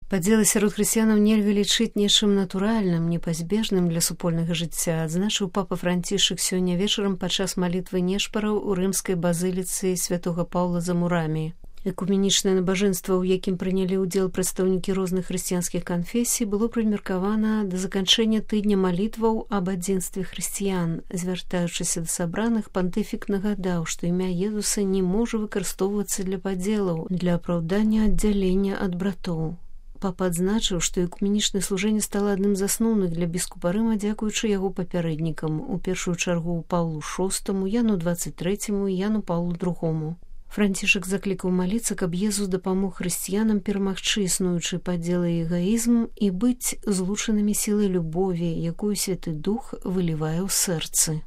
Падзелы сярод хрысціянаў нельга лічыць нечым натуральным, непазбежным для супольнага жыцця, адзначыў папа Францішак сёння вечарам падчас малітвы нешпараў у рымскай базыліцы святога Паўла за Мурамі. Экуменічнае набажэнства, у якім прынялі ўдзел прадстаўнікі розных хрысціянскіх канфесій, было прымеркавана да заканчэння тыдня малітваў аб адзінстве хрысціян. Звяртаючыся да сабраных, пантыфік нагадаў, што імя Езуса не можа выкарыстоўвацца для падзелаў, для апраўдання аддзялення ад братоў. Папа адзначыў, што экуменічнае служэнне стала адным з асноўных для біскупа Рыма, дзякуючы яго папярэднікам, у першую чаргу Паўлу VI, Яну 23 і Яну Паўлу II. Францішак заклікаў маліцца, каб Езус дапамог хрысціянам перамагчы існуючы падзелы і эгаізм і быць злучанымі сілай любові, якую Святы Дух вылівае ў сэрцы.